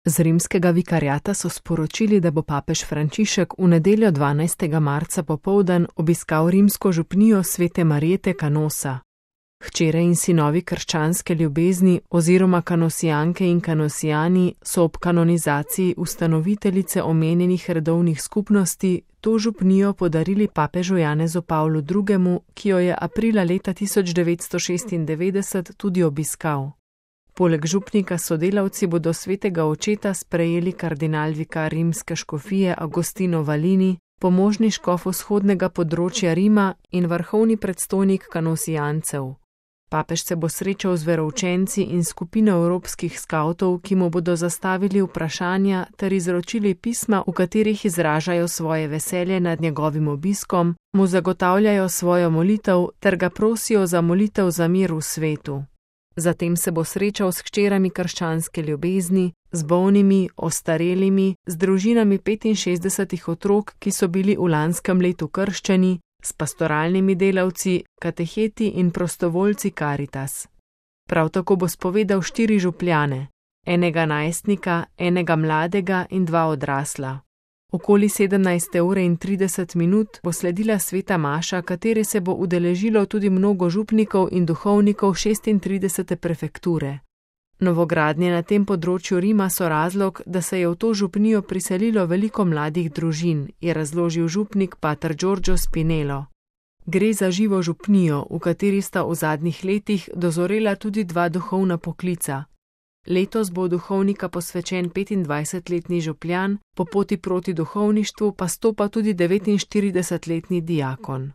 Z rimskega vikariata so sporočili, da bo papež Frančišek v nedeljo 12. marca popoldan obiskal rimsko župnijo Svete Marjete Canosa. Hčere in sinovi krščanske ljubezni oziroma kanosijanke in kanosijani so ob kanonizaciji ustanoviteljice omenjenih redovnih skupnosti to župnijo podarili papežu Janezu Pavlu II., ki jo je aprila leta 1996 tudi obiskal. Poleg župnika sodelavci bodo svetega očeta sprejeli kardinal vikar rimske škofije Agostino Valini, pomožni škof vzhodnega področja Rima in vrhovni predstojnik kanosijancev. Papež se bo srečal z veroučenci in skupino evropskih skavtov, ki mu bodo zastavili vprašanja ter izročili pisma, v katerih izražajo svoje veselje nad njegovim obiskom, mu zagotavljajo svojo molitev ter ga prosijo za molitev za mir v svetu. Zatem se bo srečal s hčerami krščanske ljubezni, z bolnimi, ostarelimi, z družinami 65 otrok, ki so bili v lanskem letu krščeni, s pastoralnimi delavci, kateheti in prostovoljci Caritas. Prav tako bo spovedal 4 župljane, enega najstnika, enega mladega in 2 odrasla. Okoli 17:30 bo sledila sveta maša, kateri se bo udeležilo tudi mnogo župnikov in duhovnikov 36. prefekture. Novogradnje na tem področju Rima so razlog, da se je v to župnijo priselilo veliko mladih družin, je razložil župnik pater Giorgio Spinello. Gre za živo župnijo, v kateri sta v zadnjih letih dozorela tudi 2 duhovna poklica. Letos bo duhovnika posvečen 25-letni župljan, po poti proti duhovništvu pa stopa tudi 49-letni diakon.